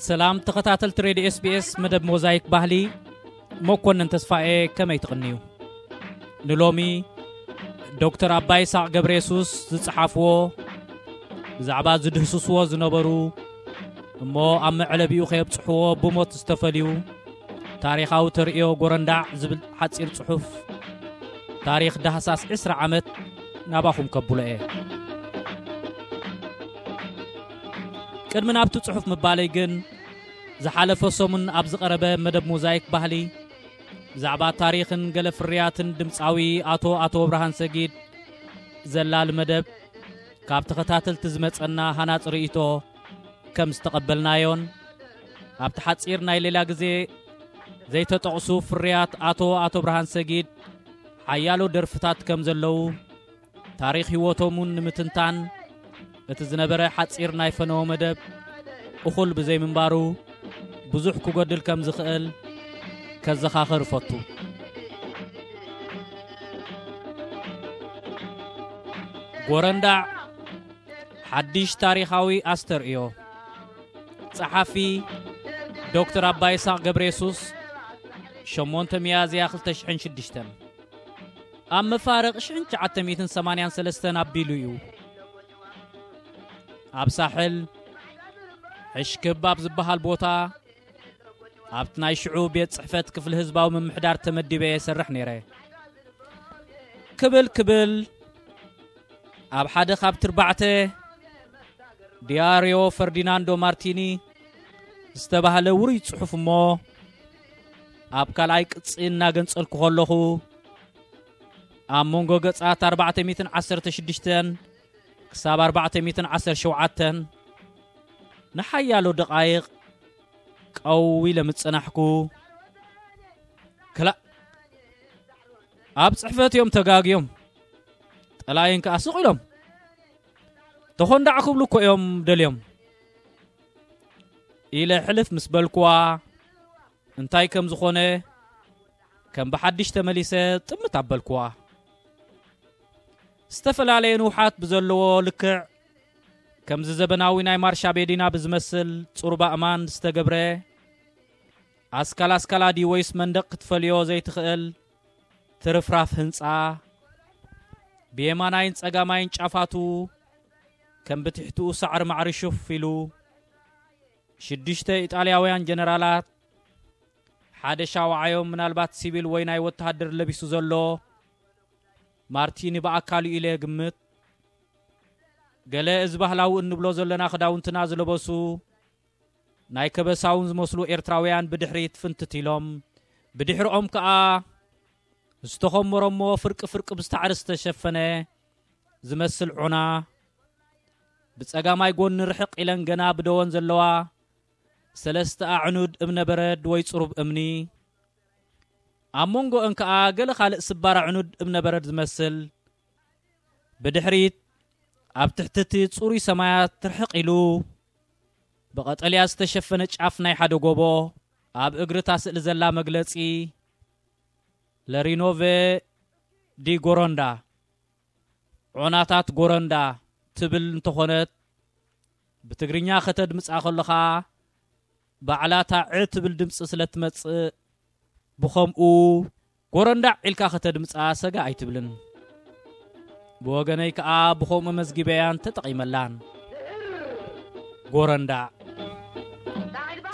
ሰላም ተኸታተልቲ ሬድዮ ኤስቢኤስ መደብ ሞዛይክ ባህሊ፣ መኮንን ተስፋኤ፣ ከመይ ትቕንዩ? ንሎሚ ዶክተር ኣባይ ይስሐቅ ገብረየሱስ ዝጸሓፍዎ፣ ብዛዕባ ዝድህስስዎ ዝነበሩ እሞ ኣብ መዕለቢኡ ከየብጽሕዎ ብሞት ዝተፈልዩ ታሪኻዊ ተርእዮ ጎረንዳዕ ዝብል ሓጺር ጽሑፍ፣ ታሪኽ ዳህሳስ ዕስራ ዓመት ናባኹም ከብሎ እየ። ቅድሚ ናብቲ ጽሑፍ ምባለይ ግን፣ ዝሓለፈ ሰሙን ኣብ ዝቐረበ መደብ ሞዛይክ ባህሊ፣ ብዛዕባ ታሪኽን ገለ ፍርያትን ድምጻዊ ኣቶ ኣቶ ብርሃን ሰጊድ ዘላሊ መደብ፣ ካብ ተኸታተልቲ ዝመጸና ሃናጺ ርእይቶ ከም ዝተቐበልናዮን፣ ኣብቲ ሓጺር ናይ ሌላ ግዜ ዘይተጠቕሱ ፍርያት ኣቶ ኣቶ ብርሃን ሰጊድ ሓያሎ ደርፍታት ከም ዘለዉ፣ ታሪኽ ህይወቶም እውን ንምትንታን እቲ ዝነበረ ሓጺር ናይ ፈነወ መደብ እኹል ብዘይምንባሩ፣ ብዙሕ ክጎድል ከም ዝኽእል ከዘኻኽር እፈቱ። ጎረንዳዕ፣ ሓድሽ ታሪኻዊ ኣስተርእዮ። ጸሓፊ ዶክተር ኣባይ ይስሐቅ ገብረየሱስ፣ ሸሞንተ ሚያዝያ ክልተ ሽሕን ሽዱሽተን። ኣብ መፋርቕ ሽሕን ትሽዓተ ሚእትን ሰማንያን ሰለስተን ኣቢሉ እዩ። ኣብ ሳሕል ሕሽክብ ኣብ ዝበሃል ቦታ፣ ኣብቲ ናይ ሽዑ ቤት ጽሕፈት ክፍሊ ህዝባዊ ምምሕዳር ተመዲበ እሰርሕ ነይረ። ክብል ክብል፣ ኣብ ሓደ ካብ ትርባዕተ ዲያርዮ ፈርዲናንዶ ማርቲኒ ዝተባህለ ውሩይ ጽሑፍ እሞ፣ ኣብ ካልኣይ ቅጺ እናገንጸልኩ ከለኹ፣ ኣብ መንጎ ገጻት ኣርባዕተ ሚእትን ዓሰርተ ሽዱሽተን ክሳብ ኣርባዕተ ሚእትን ዓሰርተ ሸውዓተን ንሓያሎ ደቓይቕ ቀው ኢለ ምጽናሕኩ። ክላእ፣ ኣብ ጽሕፈት እዮም ተጋግዮም። ጠላይን ከኣ ስቕ ኢሎም፣ ተኾንዳዕ ክብሉ እኮ እዮም ደልዮም፣ ኢለ ሕልፍ ምስ በልኩዋ፣ እንታይ ከም ዝኾነ ከም ብሓድሽ ተመሊሰ ጥምት ኣበልኩዋ። ዝተፈላለየ ንውሓት ብዘለዎ ልክዕ፣ ከምዚ ዘበናዊ ናይ ማርሻ ቤዲና ብዝመስል ጽሩብ ኣእማን ዝተገብረ፣ ኣስካል ኣስካላ ድዩ ወይስ መንደቕ ክትፈልዮ ዘይትኽእል ትርፍራፍ ህንጻ፣ ብየማናይን ጸጋማይን ጫፋቱ ከም ብትሕትኡ ሳዕሪ ማዕሪ ሹፍ ኢሉ፣ ሽዱሽተ ኢጣልያውያን ጀነራላት፣ ሓደ ሻውዓዮም ምናልባት ሲቪል ወይ ናይ ወተሃደር ለቢሱ ዘሎ፣ ማርቲኒ ብኣካሉ ኢለ ግምት። ገለ እዚ ባህላዊ እንብሎ ዘለና ክዳውንትና ዝለበሱ፣ ናይ ከበሳውን ዝመስሉ ኤርትራውያን ብድሕሪት ፍንትት ኢሎም፣ ብድሕሪኦም ከኣ ዝተኸመሮሞ ፍርቂ ፍርቂ ብሳዕሪ ዝተሸፈነ ዝመስል ዑና፣ ብጸጋማይ ጎኒ ርሕቕ ኢለን ገና ብደወን ዘለዋ ሰለስተ ኣዕኑድ እብነ በረድ ወይ ጽሩብ እምኒ፣ ኣብ መንጎአን ከኣ ገለ ካልእ ስባር ኣዕኑድ እብነ በረድ ዝመስል፣ ብድሕሪት ኣብ ትሕቲ እቲ ጽሩይ ሰማያት ርሕቕ ኢሉ ብቐጠልያ ዝተሸፈነ ጫፍ ናይ ሓደ ጎቦ፣ ኣብ እግሪ እታ ስእሊ ዘላ መግለጺ ለሪኖቬ ዲ ጎሮንዳ፣ ዖናታት ጎረንዳ ትብል እንተኾነት፣ ብትግርኛ ከተድምጻ ከለኻ ባዕላ እታ ዕ ትብል ድምጺ ስለ ትመጽእ፣ ብኸምኡ ጎረንዳዕ ኢልካ ከተድምጻ ሰጋ ኣይትብልን። ብወገነይ ከኣ ብኸምኡ መዝጊበያን ተጠቒመላን። ጎረንዳዕ።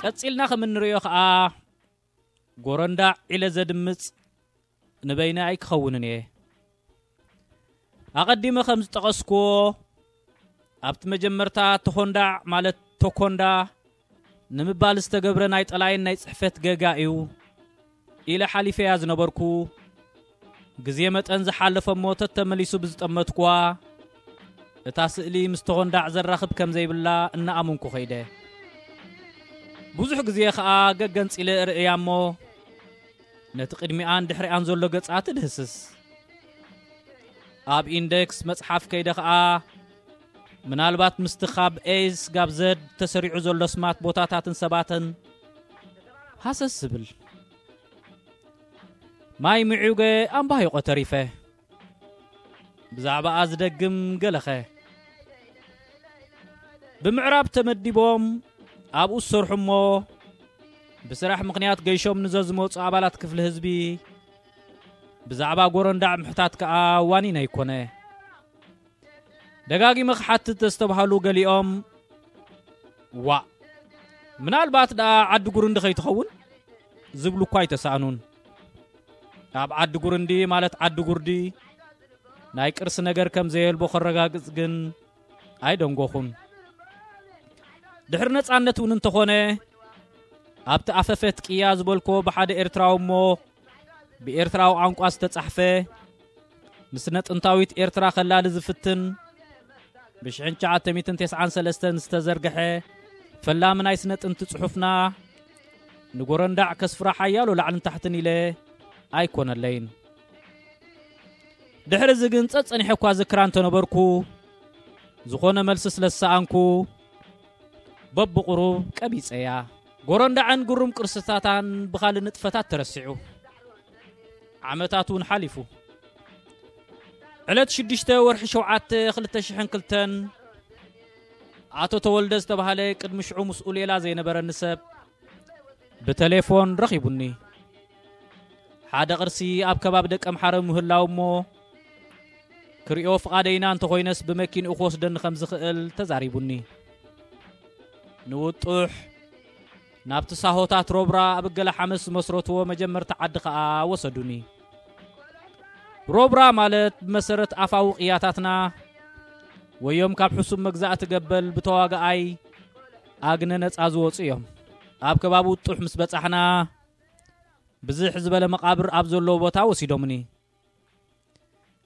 ቀጺልና ከም እንርእዮ ከኣ፣ ጎረንዳዕ ኢለ ዘድምጽ ንበይነ ኣይክኸውንን እየ። ኣቐዲመ ከም ዝጠቐስኩዎ፣ ኣብቲ መጀመርታ ተኾንዳዕ ማለት ቶኮንዳ ንምባል ዝተገብረ ናይ ጠላይን ናይ ጽሕፈት ገጋ እዩ ኢለ ሓሊፈያ ዝነበርኩ፣ ግዜ መጠን ዝሓለፈ እሞ ተተመሊሱ ብዝጠመትኩዋ፣ እታ ስእሊ ምስ ተኾንዳዕ ዘራኽብ ከም ዘይብላ እናኣመንኩ ኸይደ። ብዙሕ ግዜ ኸኣ ገገንጺለ እርእያ እሞ፣ ነቲ ቅድሚኣን ድሕሪኣን ዘሎ ገጻት እድህስስ። ኣብ ኢንደክስ መጽሓፍ ከይደ ኸኣ፣ ምናልባት ምስቲ ካብ ኤስ ጋብ ዘድ ተሰሪዑ ዘሎ ስማት ቦታታትን ሰባትን ሃሰስ ዝብል። ማይ ምዕዩገ ኣምባሂቆ ተሪፈ። ብዛዕባኣ ዝደግም ገለኸ። ብምዕራብ ተመዲቦም ኣብኡ ዝሰርሑ እሞ ብስራሕ ምኽንያት ገይሾም ንዘዝመፁ ኣባላት ክፍሊ ህዝቢ ብዛዕባ ጎረንዳዕ ምሕታት ከኣ ዋኒን ኣይኮነ። ደጋጊመ ክሓትት ዘስተብሃሉ ገሊኦም፣ "ዋእ፣ ምናልባት ደኣ ዓዲ ጉርንዲ ከይትኸውን?" ዝብሉ እኳ ኣይተሳእኑን። ኣብ ዓዲ ጉርንዲ፣ ማለት ዓዲ ጉርዲ፣ ናይ ቅርሲ ነገር ከም ዘየልቦ ከረጋግጽ ግን ኣይደንጎኹን። ድሕሪ ነጻነት እውን እንተኾነ፣ ኣብቲ ኣፈፈት ቅያ ዝበልኮ ብሓደ ኤርትራዊ እሞ ብኤርትራዊ ቋንቋ ዝተጻሕፈ፣ ንስነ ጥንታዊት ኤርትራ ከላሊ ዝፍትን፣ ብሽሕን ትሽዓተ ሚእትን ተስዓን ሰለስተን ዝተዘርግሐ ፈላሚ ናይ ስነ ጥንቲ ጽሑፍና፣ ንጎረንዳዕ ከስፍራ ሓያሎ ላዕልን ታሕትን ኢለ ኣይኮነለይን። ድሕሪ እዚ ግን ጸጸኒሐ እኳ ዝክራ እንተነበርኩ፣ ዝኾነ መልሲ ስለ ዝሰኣንኩ፣ በብቑሩብ ቀቢጸያ። ጎረንዳዕን ግሩም ቅርስታታን ብኻልእ ንጥፈታት ተረሲዑ። ዓመታት እውን ሓሊፉ። ዕለት ሽዱሽተ ወርሒ ሸውዓተ ክልተ ሽሕን ክልተን፣ ኣቶ ተወልደ ዝተባህለ ቅድሚ ሽዑ ምስኡ ሌላ ዘይነበረኒ ሰብ ብተሌፎን ረኺቡኒ። ሓደ ቅርሲ ኣብ ከባቢ ደቀምሓረ ምህላው እሞ፣ ክሪኦ ፍቓደይና እንተኾይነስ ብመኪንኡ ክወስደኒ ከም ዝኽእል ተዛሪቡኒ። ንውጡሕ ናብቲ ሳሆታት ሮብራ ኣብ እገለ ሓመስ ዝመስረትዎ መጀመርታ ዓዲ ኸኣ ወሰዱኒ። ሮብራ ማለት ብመሰረት ኣፋዊ ቅያታትና፣ ወዮም ካብ ሕሱም መግዛእቲ ገበል ብተዋጋኣይ ኣግነ ነጻ ዝወጹ እዮም። ኣብ ከባቢ ውጡሕ ምስ በጻሕና፣ ብዝሕ ዝበለ መቓብር ኣብ ዘለዎ ቦታ ወሲዶምኒ።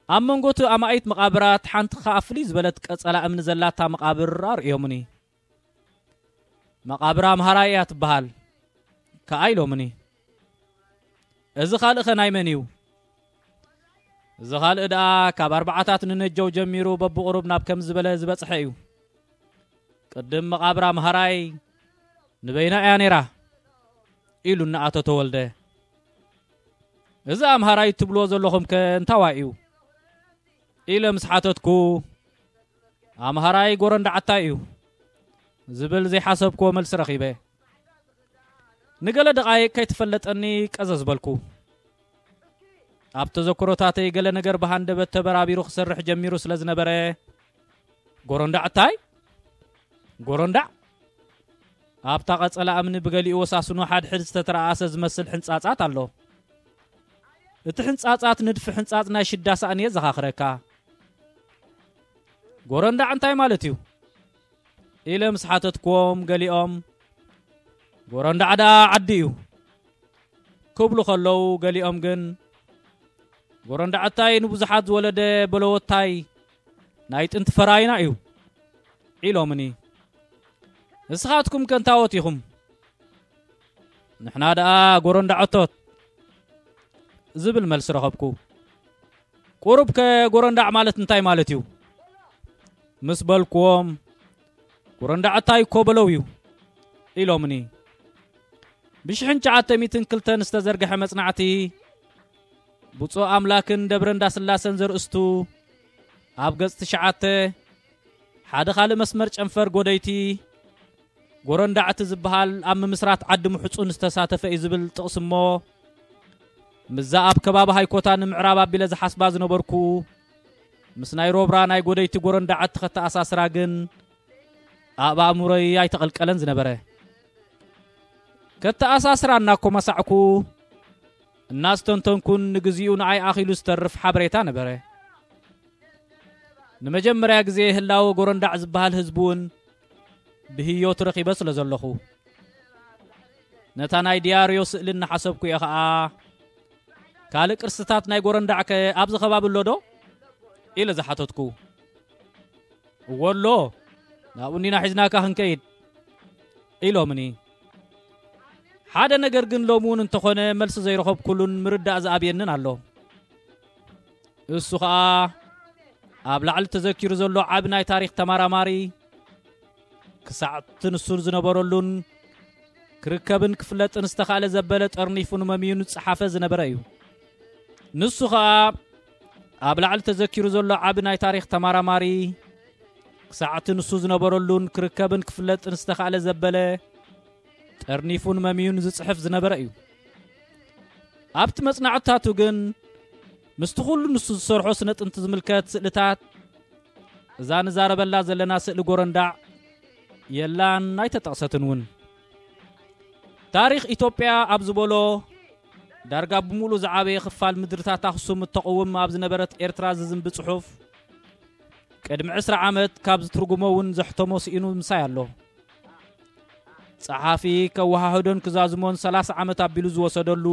ኣብ መንጎ እቲ ኣማኢት መቓብራት ሓንቲ ኸኣ ፍልይ ዝበለት ቀጸላ እምኒ ዘላታ መቓብር ኣርእዮምኒ። "መቓብር ኣምሃራይ እያ ትበሃል" ከኣ ኢሎምኒ። "እዚ ካልእኸ ናይ መን እዩ?" "እዚ ካልእ ደኣ ካብ ኣርባዓታት ንነጀው ጀሚሩ በብቑሩብ ናብ ከም ዝበለ ዝበጽሐ እዩ። ቅድም መቓብር ኣምሃራይ ንበይና እያ ነይራ" ኢሉኒ ኣቶ ተወልደ። "እዚ ኣምሃራይ ትብልዎ ዘለኹምከ እንታዋይ እዩ?" ኢለ ምስ ሓተትኩ፣ "ኣምሃራይ ጎረንዳዕታይ እዩ" ዝብል ዘይሓሰብክዎ መልሲ ረኺበ። ንገለ ደቓይቕ ከይተፈለጠኒ ቀዘዝ በልኩ። ኣብ ተዘክሮታተይ ገለ ነገር ብሃንደበት ተበራቢሩ ክሰርሕ ጀሚሩ ስለ ዝነበረ፣ "ጎረንዳዕታይ? ጎረንዳዕ?" ኣብታ ቀጸላ እምኒ ብገሊኡ ወሳስኑ ሓድሕድ ዝተተረኣሰ ዝመስል ሕንጻጻት ኣሎ። እቲ ሕንጻጻት ንድፊ ሕንጻጽ ናይ ሽዳ ሳእኒ የዘኻኽረካ። "ጎረንዳዕ እንታይ ማለት እዩ?" ኢለ ምስ ሓተትክዎም፣ ገሊኦም፣ "ጎረንዳዕ ደኣ ዓዲ እዩ" ክብሉ ከለዉ፣ ገሊኦም ግን፣ "ጎረንዳዕታይ ንብዙሓት ዝወለደ በለወታይ ናይ ጥንቲ ፈራይና እዩ" ኢሎምኒ። "ንስኻትኩም ከ እንታዎት ኢኹም?" "ንሕና ደኣ ጎረንዳዕቶት" ዝብል መልሲ ረኸብኩ። "ቁሩብ ከ ጎረንዳዕ ማለት እንታይ ማለት እዩ?" ምስ በልክዎም፣ "ጎረንዳዕታይ እኮ በለው እዩ" ኢሎምኒ። ብሽሕን ትሽዓተ ሚእትን ክልተን ዝተዘርግሐ መጽናዕቲ፣ ብፁዕ ኣምላክን ደብረ እንዳስላሰን ዘርእስቱ፣ ኣብ ገጽ ትሽዓተ፣ ሓደ ካልእ መስመር ጨንፈር ጎደይቲ፣ ጎረንዳዕቲ ዝበሃል ኣብ ምምስራት ዓዲ ምሕጹን ዝተሳተፈ እዩ ዝብል ጥቕሲ እሞ፣ ምስዛ ኣብ ከባቢ ሃይኮታ ንምዕራብ ኣቢለ ዝሓስባ ዝነበርኩ፣ ምስ ናይ ሮብራ ናይ ጎደይቲ ጎረንዳዕቲ ከተኣሳስራ ግን ኣብ ኣእምሮይ ኣይተቐልቀለን ዝነበረ። ከተኣሳስራ እናኮመሳዕኩ እናስተንተንኩን ንግዚኡ ንኣይ ኣኺሉ ዝተርፍ ሓበሬታ ነበረ። ንመጀመርያ ግዜ ህላወ ጎረንዳዕ ዝበሃል ህዝቢ እውን ብህዮት ረኺበ ስለ ዘለኹ፣ ነታ ናይ ዲያርዮ ስእሊ እናሓሰብኩ እየ ኸኣ፣ "ካልእ ቅርስታት ናይ ጎረንዳዕከ ኣብዚ ከባቢ ኣሎ ዶ?" ኢለ ዝሓተትኩ። "እወ ኣሎ፣ ናብኡ እንዲና ሒዝናካ ክንከይድ" ኢሎምኒ። ሓደ ነገር ግን ሎሚ እውን እንተኾነ መልሲ ዘይረኸብኩሉን ምርዳእ ዝኣብየንን ኣሎ። እሱ ኸኣ ኣብ ላዕሊ ተዘኪሩ ዘሎ ዓቢ ናይ ታሪኽ ተመራማሪ፣ ክሳዕ እቲ ንሱ ዝነበረሉን ክርከብን ክፍለጥን ዝተኻእለ ዘበለ ጠርኒፉ ንመምዩን ዝጸሓፈ ዝነበረ እዩ። ንሱ ኸኣ ኣብ ላዕሊ ተዘኪሩ ዘሎ ዓቢ ናይ ታሪኽ ተመራማሪ፣ ክሳዕ እቲ ንሱ ዝነበረሉን ክርከብን ክፍለጥን ዝተኻእለ ዘበለ ጠርኒፉን መምዩን ዝጽሕፍ ዝነበረ እዩ። ኣብቲ መጽናዕትታቱ ግን ምስቲ ኩሉ ንሱ ዝሰርሖ ስነ ጥንቲ ዝምልከት ስእልታት፣ እዛ ንዛረበላ ዘለና ስእሊ ጎረንዳዕ የላን ኣይተጠቕሰትን እውን። ታሪኽ ኢትዮጵያ ኣብ ዝበሎ ዳርጋ ብምሉእ ዝዓበየ ክፋል ምድርታት ኣኽሱም እተቕውም ኣብ ዝነበረት ኤርትራ ዝዝንቢ ጽሑፍ፣ ቅድሚ ዕስራ ዓመት ካብ ዝትርጉሞ እውን ዘሕተሞ ስኢኑ ምሳይ ኣሎ። ጸሓፊ ከወሃህዶን ክዛዝሞን ሰላሳ ዓመት ኣቢሉ ዝወሰደሉ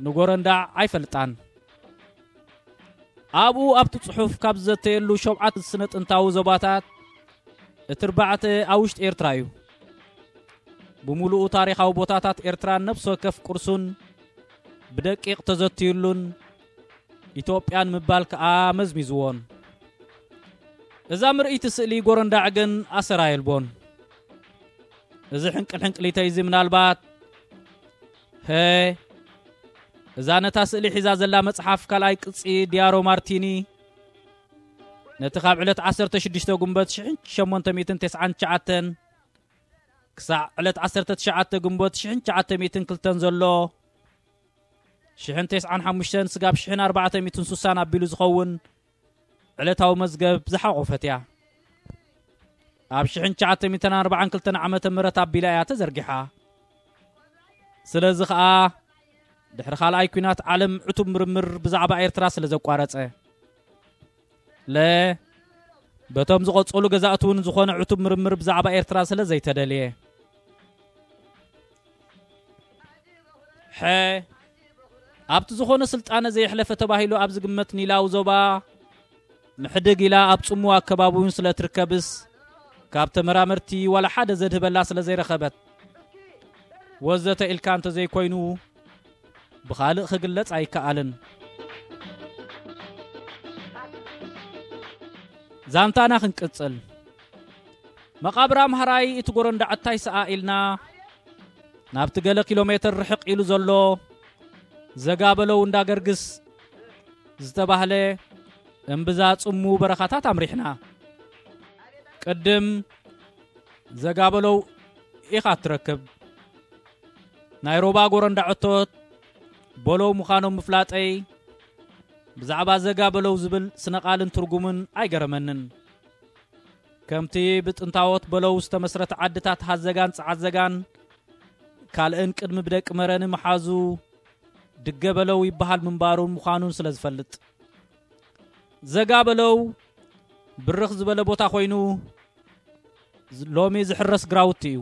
ንጎረንዳዕ ኣይፈልጣን። ኣብኡ ኣብቲ ጽሑፍ ካብ ዝዘተየሉ ሸውዓተ ስነ ጥንታዊ ዞባታት እቲ ኣርባዕተ ኣብ ውሽጢ ኤርትራ እዩ። ብምሉኡ ታሪኻዊ ቦታታት ኤርትራን ነፍሲ ወከፍ ቅርሱን ብደቂቕ ተዘትዩሉን ኢትዮጵያን ምባል ከኣ መዝሚዝዎን። እዛ ምርእይቲ ስእሊ ጎረንዳዕ ግን ኣሰር ኣየልቦን። እዚ ሕንቅል ሕንቅሊተይ እዚ ምናልባት፣ ሀ፣ እዛ ነታ ስእሊ ሒዛ ዘላ መጽሓፍ ካልኣይ ቅጺ ዲያሮ ማርቲኒ፣ ነቲ ካብ ዕለት ዓሰርተ ሽዱሽተ ጉንበት ሽሕን ሸሞንተ ሚእትን ተስዓን ትሽዓተን ክሳዕ ዕለት ዓሰርተ ትሽዓተ ግንቦት ሽሕን ትሽዓተ ሚእትን ክልተን ዘሎ፣ ሽሕን ተስዓን ሓሙሽተን ስጋብ ሽሕን ኣርባዕተ ሚእትን ሱሳን ኣቢሉ ዝኸውን ዕለታዊ መዝገብ ዝሓቖፈት እያ። ኣብ ሽሕን ትሽዓተ ሚእትን ኣርባዓን ክልተን ዓመተ ምህረት ኣቢላ እያ ተዘርጊሓ። ስለዚ ኸኣ ድሕሪ ካልኣይ ኲናት ዓለም ዕቱብ ምርምር ብዛዕባ ኤርትራ ስለ ዘቋረጸ፣ ለ፣ በቶም ዝቐጸሉ ገዛእቲ እውን ዝኾነ ዕቱብ ምርምር ብዛዕባ ኤርትራ ስለ ዘይተደልየ። ሐ፣ ኣብቲ ዝኾነ ስልጣነ ዘየሕለፈ ተባሂሉ ኣብ ዝግመት ኒላዊ ዞባ ምሕድግ ኢላ ኣብ ጽምዋ ኣከባቢ እውን ስለ እትርከብስ፣ ካብ ተመራመርቲ ዋላ ሓደ ዘድህበላ ስለ ዘይረኸበት፣ ወዘተ ኢልካ እንተ ዘይኮይኑ፣ ብኻልእ ክግለጽ ኣይከኣልን። ዛንታና ክንቅጽል። መቓብር ኣምሃራይ እቲ ጎረንዳዕ እንታይ ሰኣ ኢልና፣ ናብቲ ገለ ኪሎ ሜትር ርሕቕ ኢሉ ዘሎ ዘጋበለው እንዳ ገርግስ ዝተባህለ እምብዛ ጽሙ በረኻታት ኣምሪሕና። ቅድም ዘጋበለው ኢኻ እትረክብ። ናይ ሮባ ጎረንዳ ዕቶት በለው ምዃኖም ምፍላጠይ፣ ብዛዕባ ዘጋበለው ዝብል ስነ ቃልን ትርጉምን ኣይገረመንን። ከምቲ ብጥንታዎት በለው ዝተመስረተ ዓድታት ሃዘጋን ጸዓዘጋን ካልእን ቅድሚ ብደቂ መረኒ ምሓዙ ድገ በለው ይበሃል ምንባሩን ምዃኑን ስለ ዝፈልጥ። ዘጋ በለው ብርኽ ዝበለ ቦታ ኮይኑ፣ ሎሚ ዝሕረስ ግራውቲ እዩ።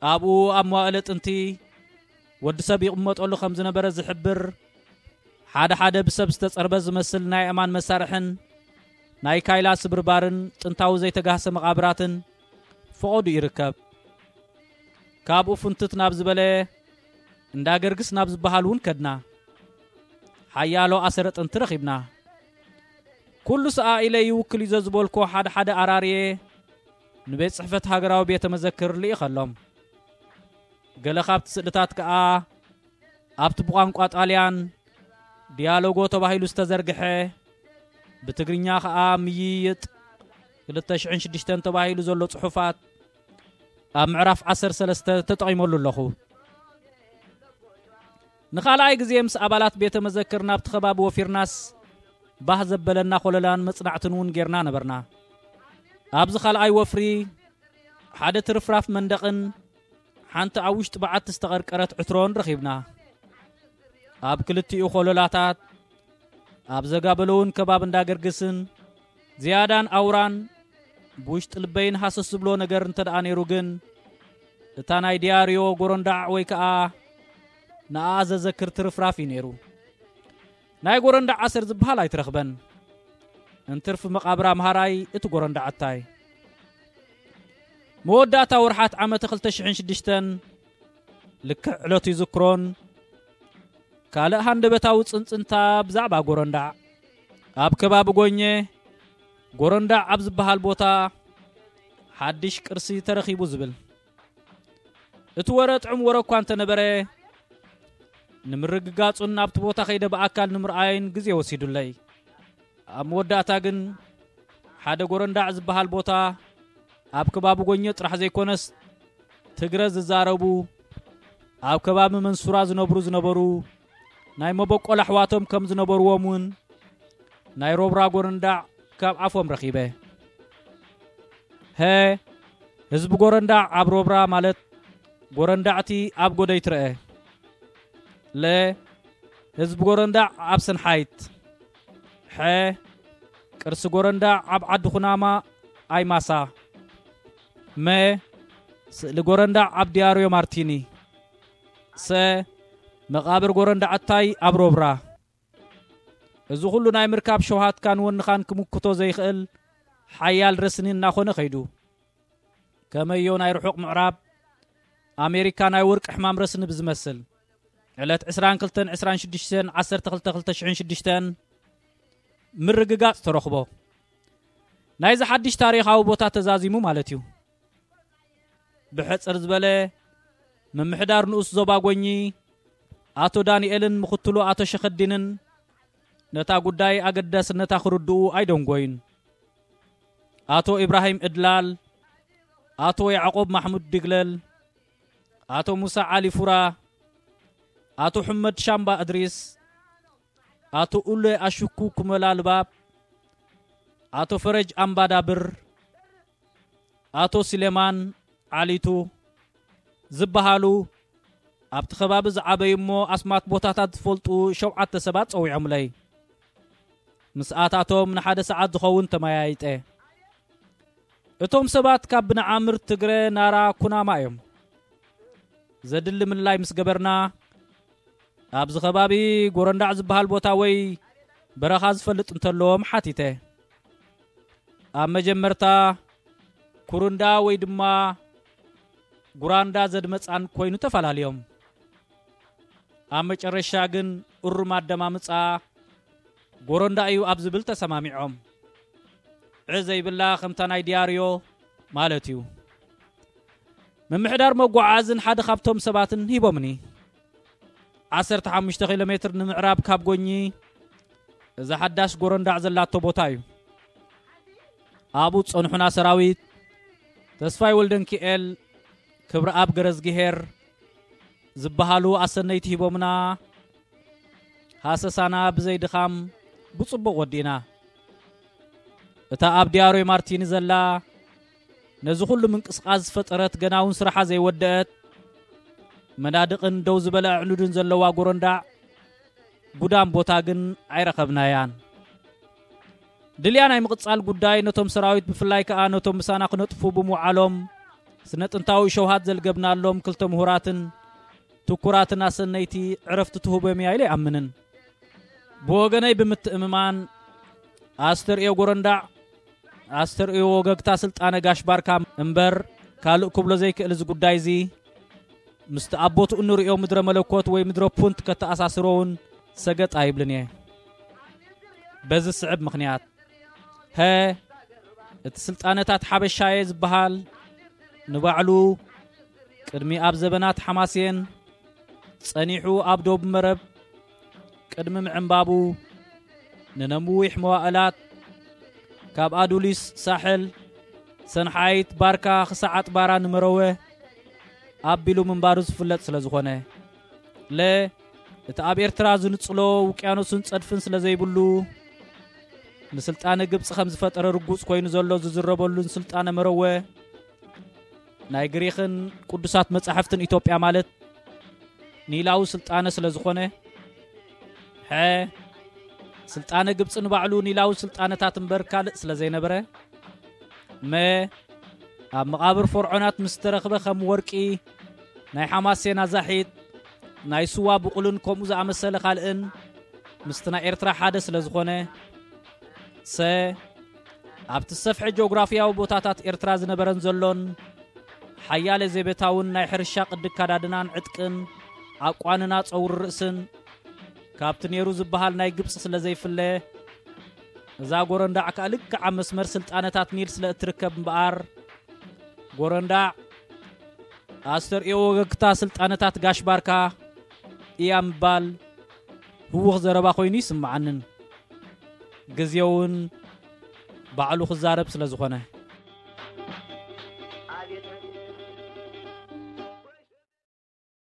ኣብኡ ኣብ መዋእለ ጥንቲ ወዲ ሰብ ይቕመጠሉ ከም ዝነበረ ዝሕብር ሓደ ሓደ ብሰብ ዝተጸርበ ዝመስል ናይ ኣእማን መሳርሕን ናይ ካይላ ስብርባርን ጥንታዊ ዘይተጋህሰ መቓብራትን ፈቐዱ ይርከብ። ካብኡ ፍንትት ናብ ዝበለ እንዳ ገርግስ ናብ ዝበሃል እውን ከድና። ሓያሎ ኣሰረ ጥንቲ ረኺብና። ኩሉ ሰኣ ኢለ ይውክል እዩ ዘዝበልኮ ሓደ ሓደ ኣራርየ ንቤት ጽሕፈት ሃገራዊ ቤተ መዘክር ልኢኸሎም። ገለ ካብቲ ስእልታት ከኣ ኣብቲ ብቋንቋ ጣልያን ዲያሎጎ ተባሂሉ ዝተዘርግሐ፣ ብትግርኛ ከኣ ምይይጥ ክልተ ሽሕን ሽዱሽተን ተባሂሉ ዘሎ ጽሑፋት ኣብ ምዕራፍ ዓሰርተ ሰለስተ ተጠቒመሉ ኣለኹ። ንኻልኣይ ግዜ ምስ ኣባላት ቤተ መዘክር ናብቲ ከባቢ ወፊርናስ፣ ባህ ዘበለና ኮለላን መጽናዕትን እውን ጌርና ነበርና። ኣብዚ ካልኣይ ወፍሪ፣ ሓደ ትርፍራፍ መንደቕን ሓንቲ ኣብ ውሽጢ በዓቲ ዝተቐርቀረት ዕትሮን ረኺብና። ኣብ ክልቲኡ ኮለላታት፣ ኣብ ዘጋበለውን ከባቢ እንዳገርግስን፣ ዝያዳን ኣውራን ብውሽጢ ልበይን ሃሰስ ዝብሎ ነገር እንተ ደኣ ነይሩ ግን፣ እታ ናይ ዲያርዮ ጎረንዳዕ ወይ ከኣ ንኣኣ ዘዘክር ትርፍራፍ እዩ ነይሩ። ናይ ጎረንዳዕ ኣሰር ዝበሃል ኣይትረኽበን። እንትርፊ መቓብር ኣምሃራይ እቲ ጎረንዳዕታይ። መወዳእታ ወርሓት ዓመተ ክልተ ሽሕን ሽዱሽተን ልክዕ ዕለቱ ይዝክሮን፣ ካልእ ሃንደበታዊ ጽንጽንታ ብዛዕባ ጎረንዳዕ። ኣብ ከባቢ ጎኘ፣ ጎረንዳዕ ኣብ ዝበሃል ቦታ ሓድሽ ቅርሲ ተረኺቡ ዝብል። እቲ ወረ ጥዑም ወረ እኳ እንተነበረ፣ ንምርግጋጹን ናብቲ ቦታ ከይደ ብኣካል ንምርኣይን ግዜ ወሲዱለይ። ኣብ መወዳእታ ግን፣ ሓደ ጎረንዳዕ ዝበሃል ቦታ ኣብ ከባቢ ጎኘ ጥራሕ ዘይኮነስ፣ ትግረ ዝዛረቡ፣ ኣብ ከባቢ መንሱራ ዝነብሩ ዝነበሩ ናይ መበቆል ኣሕዋቶም ከም ዝነበርዎም እውን ናይ ሮብራ ጎረንዳዕ ካብ ኣፎም ረኺበ። ሀ፣ ህዝቢ ጎረንዳዕ ኣብ ሮብራ ማለት ጎረንዳዕቲ ኣብ ጎደይ ትረአ። ለ፣ ህዝቢ ጎረንዳዕ ኣብ ሰንሓይት። ሐ፣ ቅርሲ ጎረንዳዕ ኣብ ዓዲ ኩናማ ኣይማሳ። መ፣ ስእሊ ጎረንዳዕ ኣብ ዲያርዮ ማርቲኒ። ሰ፣ መቓብር ጎረንዳዕታይ ኣብ ሮብራ። እዚ ኩሉ ናይ ምርካብ ሸውሃትካን ወንኻን ክምክቶ ዘይኽእል ሓያል ረስኒ እናኾነ ኸይዱ። ከመዮ ናይ ርሑቕ ምዕራብ ኣሜሪካ ናይ ወርቂ ሕማም ረስኒ ብዝመስል፣ ዕለት ዕስራን ክልተን ዕስራን ሽዱሽተን ዓሰርተ ክልተ ክልተ ሽሕን ሽዱሽተን ምርግጋጽ ተረኽቦ። ናይዚ ሓድሽ ታሪኻዊ ቦታ ተዛዚሙ ማለት እዩ። ብሕጽር ዝበለ፣ ምምሕዳር ንኡስ ዞባ ጎኚ ኣቶ ዳንኤልን ምኽትሉ ኣቶ ሸኸዲንን ነታ ጉዳይ ኣገዳስነታ ክርድኡ ኣይደንጎዩን። ኣቶ ኢብራሂም እድላል፣ ኣቶ ያዕቆብ ማሕሙድ ድግለል፣ ኣቶ ሙሳ ዓሊ ፉራ፣ ኣቶ ሕመድ ሻምባ እድሪስ፣ ኣቶ ኡለ ኣሽኩ ኩመላ ልባብ፣ ኣቶ ፈረጅ ኣምባዳብር፣ ኣቶ ስሌማን ዓሊቱ ዝበሃሉ ኣብቲ ከባቢ ዝዓበዩ እሞ ኣስማት ቦታታት ዝፈልጡ ሸውዓተ ሰባት ጸዊዖምለይ። ምስኣታቶም ንሓደ ሰዓት ዝኸውን ተመያይጠ። እቶም ሰባት ካብ ብንዓምር ትግረ ናራ ኩናማ እዮም። ዘድሊ ምልላይ ምስ ገበርና፣ ኣብዚ ከባቢ ጎረንዳዕ ዝበሃል ቦታ ወይ በረኻ ዝፈልጥ እንተለዎም ሓቲተ። ኣብ መጀመርታ ኩሩንዳ ወይ ድማ ጉራንዳ ዘድመጻን ኮይኑ ተፈላልዮም። ኣብ መጨረሻ ግን እሩም ኣደማምጻ ጎረንዳ እዩ ኣብ ዝብል ተሰማሚዖም። ዕ ዘይብላ ከምታ ናይ ዲያርዮ ማለት እዩ። ምምሕዳር መጓዓዝን ሓደ ካብቶም ሰባትን ሂቦምኒ። ዓሰርተ ሓሙሽተ ኪሎ ሜትር ንምዕራብ ካብ ጎኚ እዛ ሓዳሽ ጎረንዳዕ ዘላቶ ቦታ እዩ። ኣብኡ ዝጸንሑና ሰራዊት ተስፋይ ወልደንኪኤል፣ ክብረኣብ ገረዝግሄር ዝበሃሉ ኣሰነይቲ ሂቦምና። ሃሰሳና ብዘይ ድኻም ብጽቡቕ ወዲእና። እታ ኣብ ዲያርዮ ማርቲኒ ዘላ፣ ነዚ ኩሉ ምንቅስቓስ ዝፈጠረት፣ ገና እውን ስራሓ ዘይወደአት፣ መናድቕን ደው ዝበለ ኣዕኑድን ዘለዋ ጎረንዳዕ ጉዳም ቦታ ግን ኣይረኸብናያን። ድልያ ናይ ምቕጻል ጉዳይ ነቶም ሰራዊት፣ ብፍላይ ከኣ ነቶም ምሳና ክነጥፉ ብምውዓሎም፣ ስነ ጥንታዊ ሸውሃት ዘልገብናሎም ክልተ ምሁራትን ትኩራትን ኣሰነይቲ ዕረፍቲ ትህቦም እያ ኢለ ኣይኣምንን። ብወገነይ ብምትእምማን፣ ኣስተርእዮ ጎረንዳዕ፣ ኣስተርእዮ ወገግታ ስልጣነ ጋሽ ባርካ እምበር፣ ካልእ ክብሎ ዘይክእል እዚ ጉዳይ እዚ፣ ምስቲ ኣብ ቦትኡ እንርእዮ ምድረ መለኮት ወይ ምድረ ፑንት ከተኣሳስሮ እውን ሰገጥ ኣይብልን እየ። በዚ ዝስዕብ ምኽንያት፣ ሀ፣ እቲ ስልጣነታት ሓበሻየ ዝበሃል ንባዕሉ ቅድሚ ኣብ ዘበናት ሓማሴን ጸኒሑ ኣብ ዶብ መረብ ቅድሚ ምዕንባቡ ንነዊሕ መዋእላት ካብ ኣዱሊስ ሳሕል ሰንሓይት ባርካ ክሳዕ ኣጥባራ ንመረወ ኣቢሉ ምንባሩ ዝፍለጥ ስለ ዝኾነ፣ ለ፣ እቲ ኣብ ኤርትራ ዝንጽሎ ውቅያኖስን ጸድፍን ስለ ዘይብሉ፣ ንስልጣነ ግብጺ ከም ዝፈጠረ ርጉጽ ኮይኑ ዘሎ ዝዝረበሉን ስልጣነ መረወ ናይ ግሪኽን ቅዱሳት መጻሕፍትን ኢትዮጵያ ማለት ኒላዊ ስልጣነ ስለ ዝኾነ፣ ሐ፣ ስልጣነ ግብጺ ንባዕሉ ኒላዊ ስልጣነታት እምበር ካልእ ስለ ዘይነበረ፣ መ፣ ኣብ መቓብር ፈርዖናት ምስ ተረኽበ ከም ወርቂ፣ ናይ ሓማሴን ኣዛሒት፣ ናይ ስዋ ብቑልን ከምኡ ዝኣመሰለ ካልእን ምስቲ ናይ ኤርትራ ሓደ ስለ ዝኾነ፣ ሰ፣ ኣብቲ ሰፍሐ ጂኦግራፍያዊ ቦታታት ኤርትራ ዝነበረን ዘሎን ሓያለ ዘይቤታውን ናይ ሕርሻ ቅዲ ኣከዳድናን ዕጥቅን ኣቋንና ጸጉሪ ርእስን ካብቲ ነይሩ ዝበሃል ናይ ግብጺ ስለ ዘይፍለ፣ እዛ ጎረንዳዕ ከኣ ልክዕ ኣብ መስመር ስልጣነታት ኒል ስለ እትርከብ እምበኣር፣ ጎረንዳዕ ኣስተርእዮ ወገግታ ስልጣነታት ጋሽ ባርካ እያ ምባል ህዉኽ ዘረባ ኮይኑ ይስምዓንን፣ ግዜ እውን ባዕሉ ክዛረብ ስለ ዝኾነ።